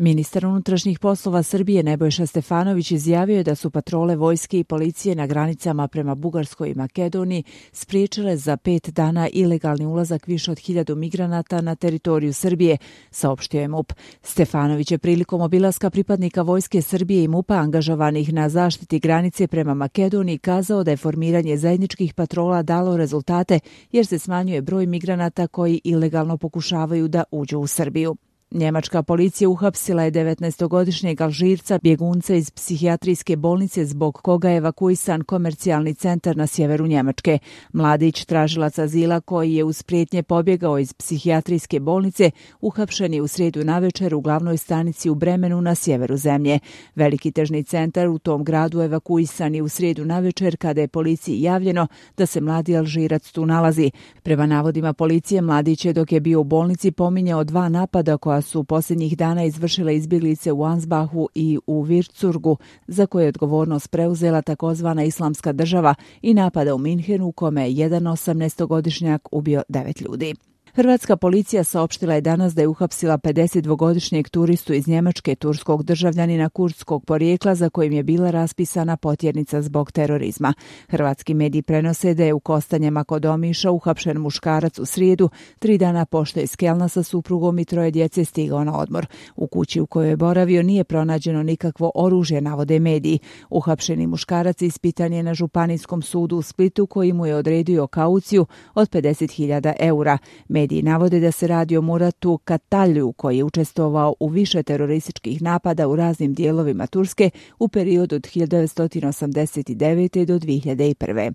Ministar unutrašnjih poslova Srbije Nebojša Stefanović izjavio je da su patrole vojske i policije na granicama prema Bugarskoj i Makedoniji spriječile za 5 dana ilegalni ulazak više od 1000 migranata na teritoriju Srbije, saopštio je MUP. Stefanović je prilikom obilaska pripadnika vojske Srbije i MUP-a angažovanih na zaštiti granice prema Makedoniji kazao da je formiranje zajedničkih patrola dalo rezultate jer se smanjuje broj migranata koji ilegalno pokušavaju da uđu u Srbiju. Njemačka policija uhapsila je 19-godišnjeg Alžirca, bjegunca iz psihijatrijske bolnice zbog koga je evakuisan komercijalni centar na sjeveru Njemačke. Mladić, tražilac azila koji je uz prijetnje pobjegao iz psihijatrijske bolnice, uhapšen je u srijedu navečer u glavnoj stanici u Bremenu na sjeveru zemlje. Veliki tržni centar u tom gradu evakuisan je u srijedu navečer kada je policiji javljeno da se mladi Alžirac tu nalazi. Prema navodima policije, mladić je dok je bio u bolnici pominjao 2 napada koja su posljednjih dana izvršile izbjeglice u Ansbachu i u Würzburgu, za koje je odgovornost preuzela takozvana Islamska država, i napada u Minhenu u kome je jedan 18-godišnjak ubio 9 ljudi. Hrvatska policija saopštila je danas da je uhapsila 52-godišnjeg turistu iz Njemačke, turskog državljanina kurdskog porijekla za kojim je bila raspisana potjernica zbog terorizma. Hrvatski mediji prenose da je u Kostanjama kod Omiša uhapšen muškarac u srijedu, 3 dana pošto je iz Kelna sa suprugom i 3 djece stigao na odmor. U kući u kojoj je boravio nije pronađeno nikakvo oružje, navode mediji. Uhapšeni muškarac ispitan je na Županijskom sudu u Splitu koji mu je odredio kauciju od 50.000 eura. Mediji navode da se radi o Muratu Katalju koji je učestvovao u više terorističkih napada u raznim dijelovima Turske u periodu od 1989. do 2001.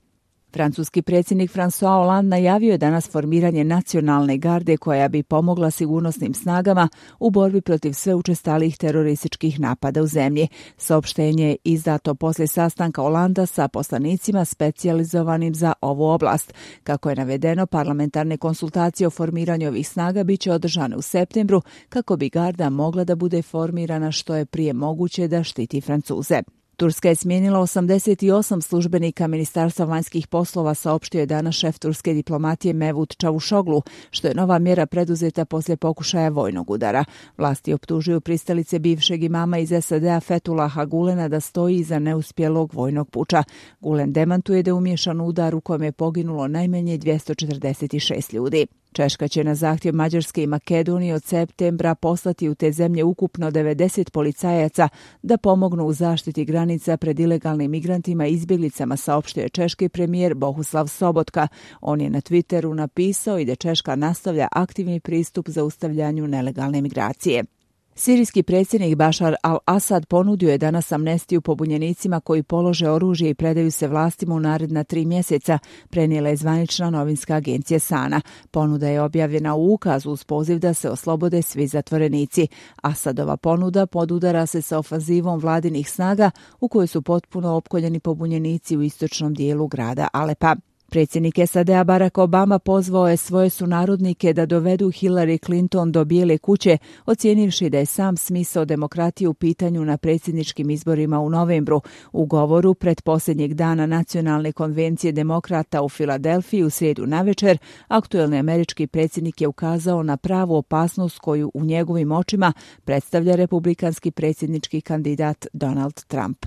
Francuski predsjednik François Hollande najavio je danas formiranje nacionalne garde koja bi pomogla sigurnosnim snagama u borbi protiv sve učestalijih terorističkih napada u zemlji. Saopštenje je izdato poslije sastanka Hollanda sa poslanicima specijalizovanim za ovu oblast. Kako je navedeno, parlamentarne konsultacije o formiranju ovih snaga bit će održane u septembru kako bi garda mogla da bude formirana što je prije moguće da štiti Francuze. Turska je smijenila 88 službenika Ministarstva vanjskih poslova, saopštio je danas šef turske diplomatije Mevlut Čavuşoglu, što je nova mjera preduzeta poslije pokušaja vojnog udara. Vlasti optužuju pristalice bivšeg imama iz SAD-a Fethullaha Gulena da stoji iza neuspjelog vojnog puča. Gulen demantuje da je umiješan u udar u kojem je poginulo najmanje 246 ljudi. Češka će na zahtjev Mađarske i Makedonije od septembra poslati u te zemlje ukupno 90 policajaca da pomognu u zaštiti granica pred ilegalnim migrantima i izbjeglicama, saopštio je češki premijer Bohuslav Sobotka. On je na Twitteru napisao i da Češka nastavlja aktivni pristup zaustavljanju nelegalne migracije. Sirijski predsjednik Bašar al-Asad ponudio je danas amnestiju pobunjenicima koji polože oružje i predaju se vlastima u naredna 3 mjeseca, prenijela je zvanična novinska agencija Sana. Ponuda je objavljena u ukazu uz poziv da se oslobode svi zatvorenici. Asadova ponuda podudara se sa ofanzivom vladinih snaga u kojoj su potpuno opkoljeni pobunjenici u istočnom dijelu grada Alepa. Predsjednik SAD-a Barack Obama pozvao je svoje sunarodnike da dovedu Hillary Clinton do Bijele kuće, ocijenivši da je sam smisao demokratije u pitanju na predsjedničkim izborima u novembru. U govoru pred posljednjeg dana Nacionalne konvencije demokrata u Filadelfiji u srijedu navečer, aktuelni američki predsjednik je ukazao na pravu opasnost koju u njegovim očima predstavlja republikanski predsjednički kandidat Donald Trump.